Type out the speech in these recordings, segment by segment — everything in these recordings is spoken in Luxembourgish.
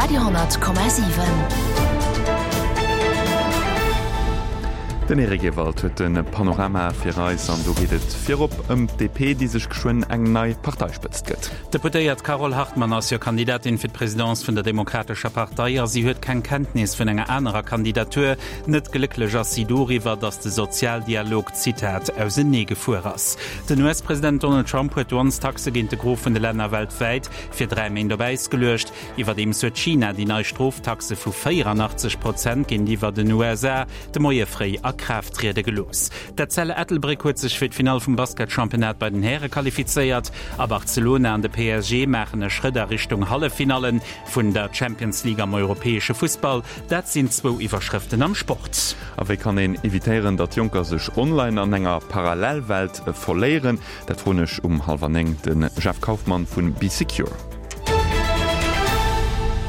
Radio 10,7. Den Eric Ewald huet de Panorama fir eis an do geet et virop ëm d'DP, déi sech geschwënn eng nei Parteispëtzt gëtt. D'Deputéiert Carole Hartmann ass jo Kandidatin fir d'Presidence vun der Demokratescher Partei a si huet keng Kenntnis vun enger anerer Kandidatur. Net glécklech ass si doriwwer, datt de Sozialdialog, Zitat, ausenee gefuer ass. Den US-President Donald Trump huet Douanestaxe géint de Gros vun de Länner weltwäit fir 3 Méint op Äis geluecht. Iwwerdeems huet China déi nei Stroftaxe vu 84 Prozent géintiwwer den USA de Moie fréi a Kraaft triede gelooss. D'Etzella Ettelbréck huet sech fir d'Finall vum Basketchampionnat bei den Häre qualifizéiert a Barcelona an de PSG maachen e Schrëtt a Richtung Halleffinallen vun der Champions League am europäesche Fussball. Dat sinn zwou Iwwerschrëften am Sport. A wéi kann een evitéieren, datt Jonker sech online an enger Parallelwelt verléieren? Dat froen ech um hallwer 9 de Jeff Kaufmann vu Bee Secure.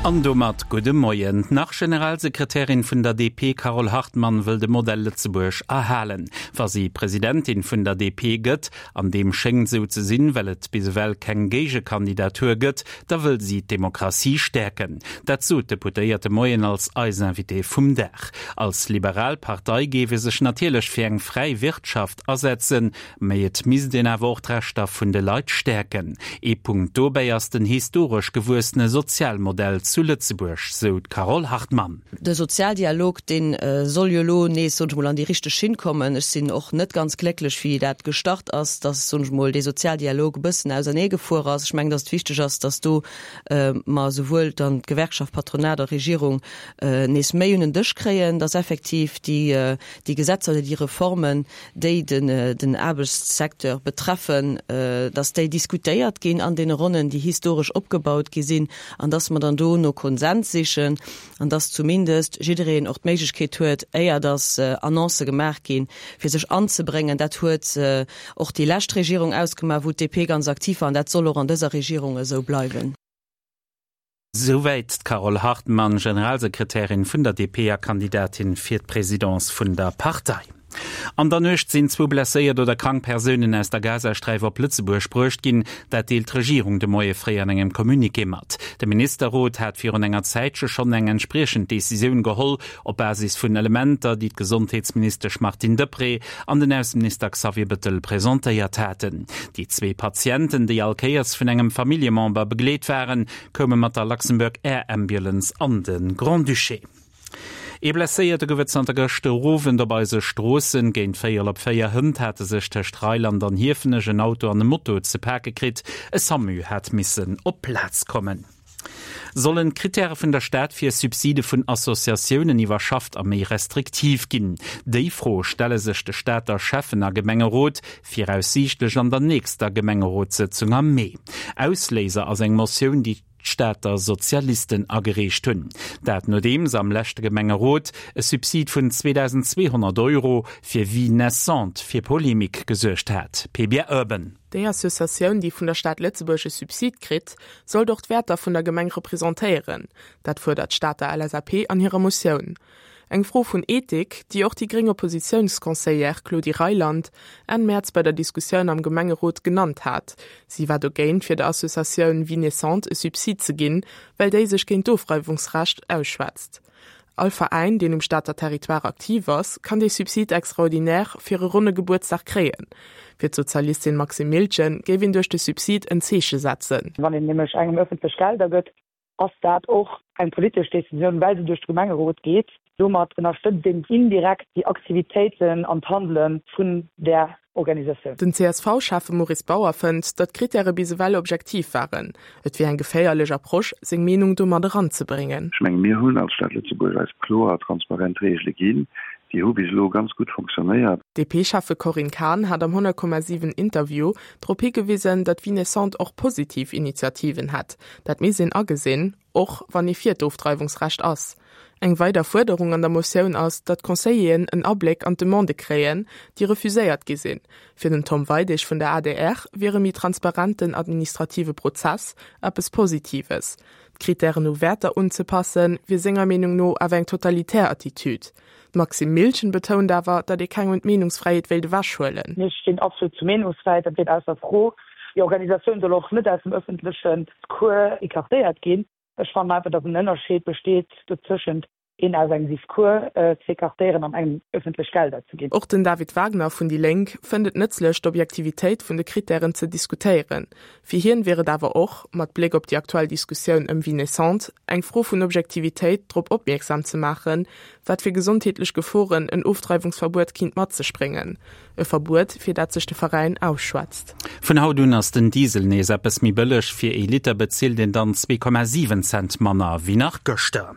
An domat gudde Moien. D'Nach-Generalsekretärin vun der DP Carole Hartmann wëll de Modell Lëtzebuerg erhalen, wa si Presidentin vun der DP gëtt. An deem schéngt esou ze sinn, well et bis ewell keng Géigekandidatur gëtt. Da wëll si d'Demokratie stäerken. Dat sot d'Deputéiert de Moien als eis Invitée vum Dag. Als liberal Partei géif ee sech natierlech fir eng fräi Wirtschaft asetzen, Mee et misst een awer och d'Rechter vun de Leit stäerken. Ee Punkt dobäi ass den historesch gewuessene Sozialmodell zu Lëtzebuerg, sou d'Carole Hartmann. De Sozialdialog, dee soll jo elo nees, soen ech mol, an déi richteg Schinn kommen. Ech sinn och net ganz glécklech, wéi dat gestart ass, datt, soen ech mol, dee Sozialdialog e bëssen auserneegefuer ass. Ech mengen, datt et wichteg ass, datt do mer esouwuel dann d'Gewerkschaft, Patronat a Regierung nees méi un en Dësch kréien, datt effektiv déi Gesetzer oder déi Reformen, déi den Aarbechtssecteur betreffen, dass déi diskutéiert ginn an deene Ronnen, déi historesch opgebaut gi sinn, an dass mer dann do no Konsens sichen an dass zumindest jiddereen och d'Méiglechkeet huet, éier dass Annoncë gemaach ginn, fir sech anzebréngen. Dat huet och déi lescht Regierung ausgemaach, wou d'DP ganz aktiv war, an dat soll och an dëser Regierung esou bleiwen. Souwäit d'Carole Hartmann, Generalsekretärin vun der DP a Kandidatin fir d'Presidence vun der Partei. An der Nuecht sinn zwou blesséiert oder krank Persounen aus der Gazasträif op Lëtzebuerg bruecht ginn. Dat deelt d'Regierung de Moie fréi an engem Communiqué mat. De Ministerrot hat virun enger Zäitche schonn eng entspriechend Decisioun geholl, op Basis vun Elementer, déi d'Gesondheetsministesch Martine Deprez an den Ausseminister Xavier Bettel presentéiert haten. Déi zwee Patienten, déi all Kéiers vun engem Familljemember begleet waren, koume mat der Luxembourg Air Ambulance an de Grand-Duché. Ee Blesséierte gouf et zanter gëschter Owend op eise Stroossen. Géint véierel op 4 hënt hate sech tëscht Reiland an Hiefenech en Auto an e Moto ze pake kritt. E Samu hat missen op d'Plaz kommen. Sollen d'Krittäre vun der Stad fir Subside vun Associatiounen iwwerschafft a méi restriktiv ginn? Déi Fro stelle sech de Stater Schäffen a Gemengerot viraussiichtlech an der nächster Gemengerotssëtzung am Mee. Ausléiser ass eng Motioun, déi d'Stater Sozialisten agereecht hunn. Dat nodeems am leschte Gemengerot e Subsid vun 2.200 Euro fir Vie naissante fir Polemik gesuergt hat. Pebia Urban. Déi Associatioun, déi vun der Stad Lëtzebuerg e Subsid kritt, sollt och d'Wäerter vun der Gemeng representéieren. Dat fuerdert d'Stater LSAP an hirer Motioun. Eng Fro vun Ethik, déi och déi gréng Oppositiounsconseillère Claudie Reyland Enn Mäerz bei der Diskussioun am Gemengerot genannt hat. Si war dogéint, fir der Associatioun Vie naissante e Subsid ze ginn, well déi sech géint d'Ofreiwungsrecht ausschwätzt. All Veräin, deen um Stater Territoire aktiv ass, kann dee Subside extraordinaire fir e ronne Gebuertsdag kréien. Fir d'Sozialistin Maxime Miltgen géif een duerch de Subsid en Zeeche setzen. Wann een nämlech engem ëffentlech Gelder gëtt, ass dat och eng politesch Decisioun, well se duerch de Gemengerot geet. Domat ënnerstëtzt een indirekt déi Aktivitéiten an d'Handele vun där Organisatioun. Den CSV-Schäffe Maurice Bauer fënnt, datt d'Krittäre bis ewell objektiv waren. Et wier eng geféierlech Approche, seng Meenung do mat eranzebréngen. Ech menge mir hunn als Stad Lëtzebuerg eis kloer a transparent Reegele ginn. Déi hu bis elo ganz gutt fonctionnéiert. D'DP-Schäffe Corinne Cahen hat am 100,7 Interview drop higewisen, datt Vie naissante och positiv Initiativen hätt. Dat misst een agesinn. Och wann ee fir d'Ofdreiwungsrecht ass. Eng weider Fuerderung an der Motioun ass, datt d'Conseilleren en Abléck an d'Demandë kréien, déi refuséiert gi sinn. Fir den Tom Weidig vun der adr wier e méi transparenten administrative Prozess eppes Positives. D'Krittären u Wäerter unzepassen, wier senger Meenung no awer eng totalitär Attitüd. D'Maxime Miltgen betount awer, datt ee kengem d'Meenungsfräiheet wéilt ewechhuelen. Mir stinn absolut zur Meenungsfräiheet, dat steet ausser Fro. Déi Organisatioun soll och net aus dem ëffentlechen Cours écartéiert ginn. Ech fannen einfach, datt en Ënnerscheed besteet dozëschent een aus engem Discours z'écartéieren an engem ëffentlech Gelder ze ginn. Och den David Wagner vun déi Lénk fënnt et nëtzlech, d'Objektivitéit vun de Krittären ze diskutéieren. Fir hien wier et awer och, mat Bléck op déi aktuell Diskussioun ëm Vie naissante, eng Fro vun Objektivitéit, drop opmierksam ze maachen, wat fir gesondheetlech Geforen en Ofdreiwungsverbuet kinnt mat sech bréngen. E Verbuet, fir dat sech de Veräin ausschwätzt. Vun haut un ass den Diesel nees eppes méi bëlleg, fir ee Liter bezilt een dann 2,7 Cent manner wéi nach gëschter.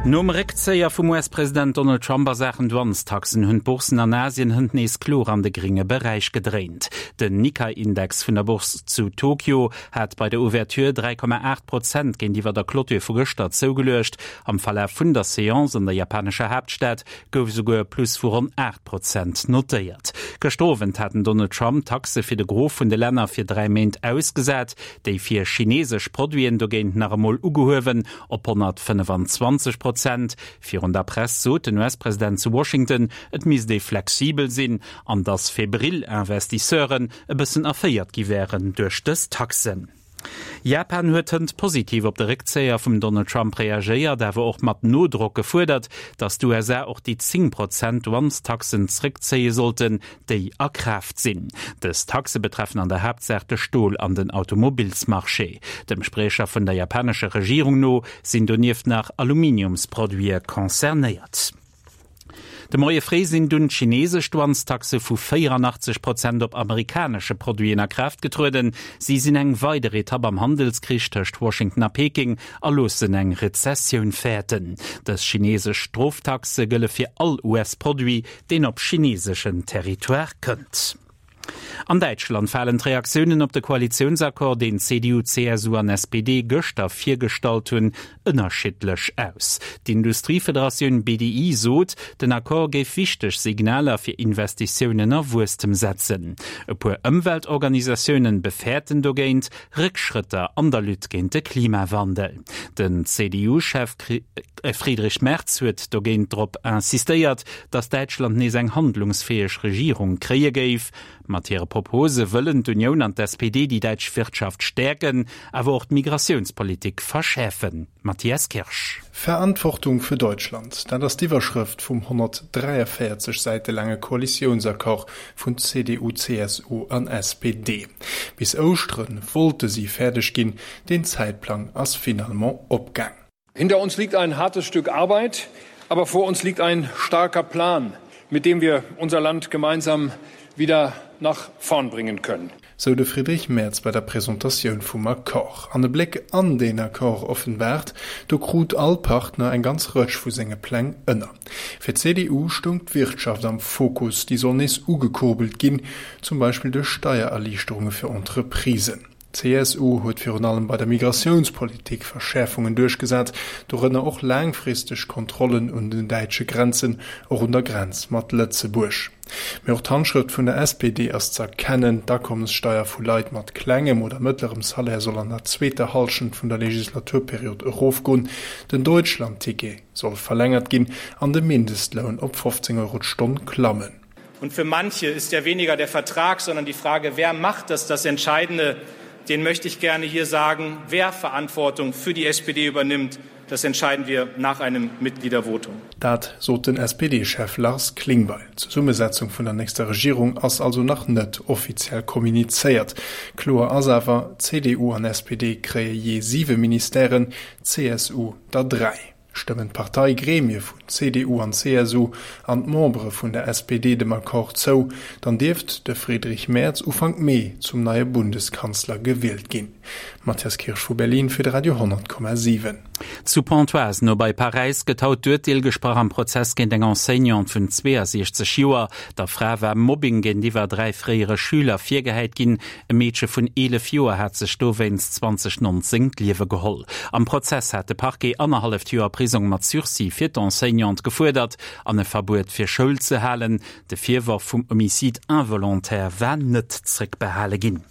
Nom Réckzéier vum US-President Donald Trump a Saachen Douanestaxen hunn d'Bourssen an Asien hënt nees kloer an de grénge Beräich gedréint. Den Nikkei-Index vun der Bourse zu Tokio hat bei der Ouverture 3,8 Prozent géintiwwer der Clôture vu gëschter zougeluecht. Am Verlaf vun der Seance an der japanescher Haaptstad gouf esouguer e Plus vu ronn 8 Prozent notéiert. Gëschter Owend hat den Donald Trump d'Taxe fir de Gros vun de Länner fir 3 Méint ausgesat, déi fir chineesesch Produiten dogéint nach emol ugehuewen op 125 Prozent. Virun der Press sot den US-President zu Washington, et misst ee flexibel sinn an datt febril Investisseuren e bëssen erféiert gi wären duerch dës Taxen. Japan huet hënt positiv op de Réckzéier vum Donald Trump reagéiert, awer och mat Nodrock gefuerdert, datt d'USA och déi 10 Prozent Douanestaxen zréckzéie sollten, déi a Kraaft sinn. Dës Taxe betreffen an der Haaptsaach de Stol an den Automobillsmarché. Dem Spriecher vun der japanescher Regierung no sinn donieft nach Aluminiumsproduite concernéiert. De Moie fréi sinn dunn d'chineesesch Douanestaxe vu 84 Prozent op amerikanesche Produiten a Kraaft getrueden. Si sinn eng weider Etapp am Handelskrich tëscht Washington a Peking a loossen eng Rezessioun fäerten. Dës chineesesch Stroftaxe gëlle fir all US-Produit, deen op chineeseschen Territoire kënnt. An Däitschland falen d'Reaktiounen op de Koalitiounsaccord, deen CDU, CSU an SPD gëschter virgestallt hunn, ënnerschiddlech aus. D'Industriefederatioun BDI sot, den Accord géif wichteg Signaler fir Investitiounen a Wuesstem setzen. E puer Ëmweltorganisatiounen befäerten dogéint Réckschrëtter an der Lutte géint de Klimawandel. Den CDU-Chef Friedrich Merz huet dogéint drop insistéiert, datt Däitschland nees eng handlungsfäeg Regierung kréie géif. Mat hire Propose wëllen d'Unioun an d'SPD déi däitsch Wirtschaft stäerken, awer och d'Migratiounspolitik verschäerfen. Matthias Kirsch. Verantwortung für Deutschland, dat ass d'Iwwerschrëft vum 143 Säite laange Koalitiounsaccord vun CDU, CSU an SPD. Bis Ouschtere wollte si fäerdeg ginn, deen Zäitplang ass finalement opgaang. Hinter uns liegt ein hartes Stück Arbeit, aber vor uns liegt ein starker Plan, mit dem wir unser Land gemeinsam wieder nach vorn bringen können. Sou de Friedrich Merz bei der Presentatioun vum Accord. An e Bléck an deen Accord offenbaart, do krut all Partner eng ganz Rëtsch vu senge Pläng ënner. Fir d'CDU stoung d'Wirtschaft am Fokus, déi soll nees ugekurbelt ginn, zum Beispill duerch Steiererliichterunge fir Entreprisen. D'CSU huet virun allem bei der Migratiounspolitik Verschäerfungen duerchgesat, dorënner och laangfristeg Kontrollen un den däitsche Grenzen, och un der Grenz mat Lëtzebuerg. Mee och d'Handschrëft vun der SPD ass z'erkennen, D'Akommessteier vu Leit mat klengem oder mëttlerem Salaire soll an der zweeter Hallschent vun der Legislaturperiod erofgoen, den Deutschlandticket soll verlängert ginn an de Mindestloun op 15 Euro d'Stonn klammen. Und für manche ist ja weniger der Vertrag, sondern die Frage, wer macht das das Entscheidende, den möchte ich gerne hier sagen, wer Verantwortung für die SPD übernimmt, das entscheiden wir nach einem Mitgliedervotum. Dat sot den SPD-Chef Lars Klingbeil. D'Zesummesetzung vun der nächster Regierung ass also nach net offiziell kommunizéiert. Kloer ass awer, CDU an SPD kréie jee siwe Ministèren, CSU der dräi. Stëmmen d'Parteigremie vun CDU an CSU an d'Membere vun der SPD dem Accord zou, dann dierft de Friedrich Merz Ufank Mee zum neie Bundeskanzler gewielt ginn. Matthias Kirsch vu Berlin fir de Radio 10,7. Zu Pontoise, no bei Paräis, gëtt haut d'Urteel gesprach am Prozess géint eng Enseignante vun 62 Joer. Der Fra war Mobbing géintiwwer 3 fréiere Schüler virgehäit ginn. E Meedche vun 11 Joer hat sech dowéinst 2019 d'Liewe geholl. Am Prozess hat de Parquet annerhalleft Joer Prisong mat Sursis fir d'Enseignante gefuerdert an e Verbuet fir Schoul ze halen. De Virworf vum Homicide involontaire war net zréckbehale ginn.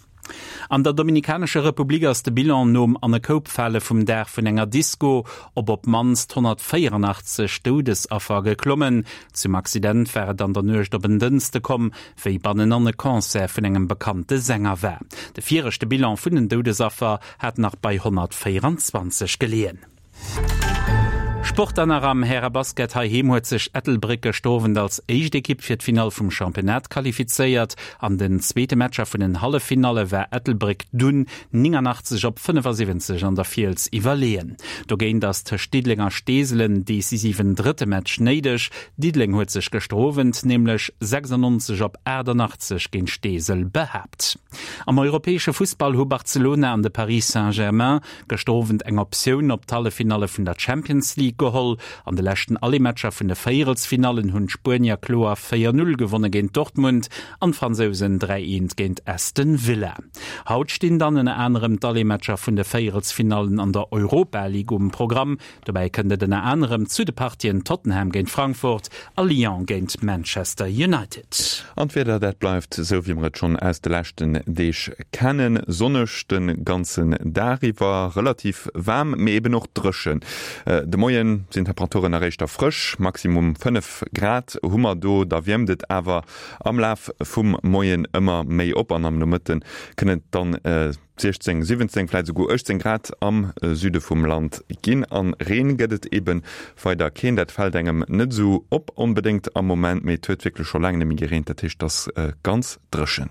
An der Dominikanescher Republik ass de Bilan nom An-e-Koup-Fale vum Daach vun enger Disko op op d'mannst 184 Doudesaffer geklommen. Zum Accident war et an der Nuecht op en Dënschde komm, wéi bannenan e Concert vun engem bekannte Sänger war. De viregte Bilan vun den Doudesaffer hat nach bei 124 geleeën. Sport an nach am Härebasket heiheem huet sech Ettelbréck gëschter Owend als éischt Ekipp fir d'Finall vum Championnat qualifizéiert. An den zweete Matcher vun den Halleffinalle war Ettelbréck dunn 89 op 75 an der Fiels iwwerleeën. Dogéint ass tëscht Diddeleng a Steesel en decisiven drëtte Match néideg. Diddeleng huet sech gëschter Owend nämlech 96 op 88 géint Steesel behaapt. Am europäesche Fussball hu Barcelona an de Paris Saint-Germain Gëschter Owend eng Optioun op d'Halleffinalle vun der Champions League geholl. An de leschten Allemaatcher vun de Véierelsfinallen hunn d'Spuenier kloer 4, 0 gewonne géint Dortmund an d'Fransousen 3, 1 géint Aston Villa. Haut stinn dann ënner anerem d'Allemaatcher vun de Véierelsfinallen an der Europa League um Programm. Dobäi kënnt et ënner anerem zu de Partien Tottenham géint Frankfurt a Lyon géint Manchester United. An d'Wieder, dat bleift esou wéi mer et schonn aus de leschten Deeg kennen, sonneg de ganzen Dag iwwer, relativ waarm, mee eben och dréchen. De Moie sinn d'Temperaturen nach éischter frësch, Maximum 5 Grad hu mer do. Da wiermt et awer am Laf vum Moien ëmmer méi op an am Nomëtte kënn et dann 16, 17, vläit esouguer 18 Grad am Süde vum Land ginn. An Reen gëtt et ebe weider keen. Dat fält engem net esou op onbedéngt am Moment, mee et huet wierklech scho laang net méi gereent, dat heescht et ass ganz dréchen.